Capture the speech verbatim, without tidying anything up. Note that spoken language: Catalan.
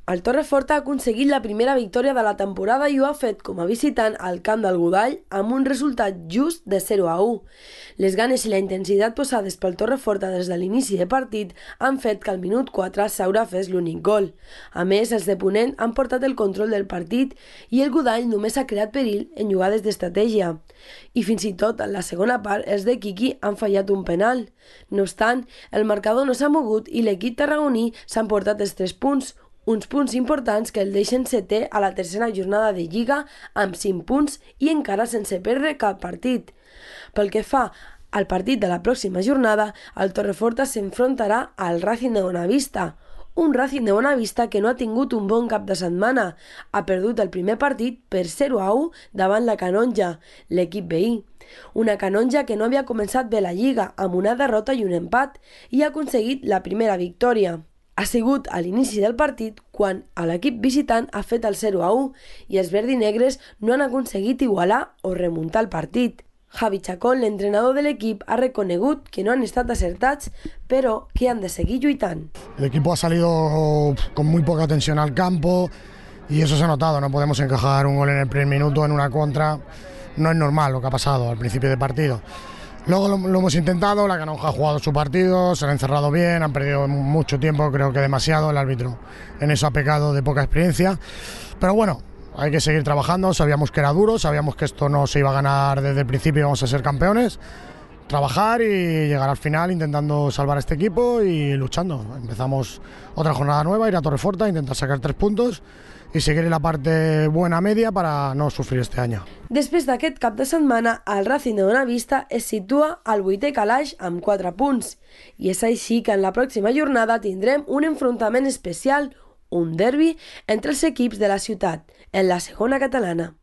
El Torreforta ha aconseguit la primera victòria de la temporada i ho ha fet com a visitant al camp del Godall amb un resultat just de zero a u. Les ganes i la intensitat posades pel Torreforta des de l'inici de partit han fet que al minut quatre Saura fes l'únic gol. A més, els de Ponent han portat el control del partit i el Godall només ha creat perill en jugades d'estratègia. I fins i tot en la segona part els de Quiqui han fallat un penal. No obstant, el marcador no s'ha mogut i l'equip tarragoní s'ha emportat els tres punts, uns punts importants que el deixen setè a la tercera jornada de Lliga amb cinc punts i encara sense perdre cap partit. Pel que fa al partit de la pròxima jornada, el Torreforta s'enfrontarà al Racing de Bonavista, un Racing de Bonavista que no ha tingut un bon cap de setmana. Ha perdut el primer partit per zero a u davant la Canonja, l'equip veí. Una Canonja que no havia començat bé la Lliga amb una derrota i un empat i ha aconseguit la primera victòria. Ha sigut a l'inici del partit quan l'equip visitant ha fet el zero a u i els verdinegres no han aconseguit igualar o remuntar el partit. Javi Chacón, l'entrenador de l'equip, ha reconegut que no han estat acertats, però que han de seguir lluitant. El equipo ha salido con muy poca tensión al campo y eso se ha notado. No podemos encajar un gol en el primer minuto en una contra. No es normal lo que ha pasado al principio del partido. Luego lo, lo hemos intentado, la Canonja ha jugado su partido, se han encerrado bien, han perdido mucho tiempo, creo que demasiado, el árbitro en eso ha pecado de poca experiencia, pero bueno, hay que seguir trabajando, sabíamos que era duro, sabíamos que esto no se iba a ganar desde el principio y íbamos a ser campeones, trabajar y llegar al final intentando salvar a este equipo y luchando. Empezamos otra jornada nueva, ir a Torreforta, intentar sacar tres puntos i seguir en la parte buena media para no sufrir este año. Després d'aquest cap de setmana, el Racing de Bonavista es situa al vuitè calaix amb quatre punts. I és així que en la pròxima jornada tindrem un enfrontament especial, un derbi, entre els equips de la ciutat, en la segona catalana.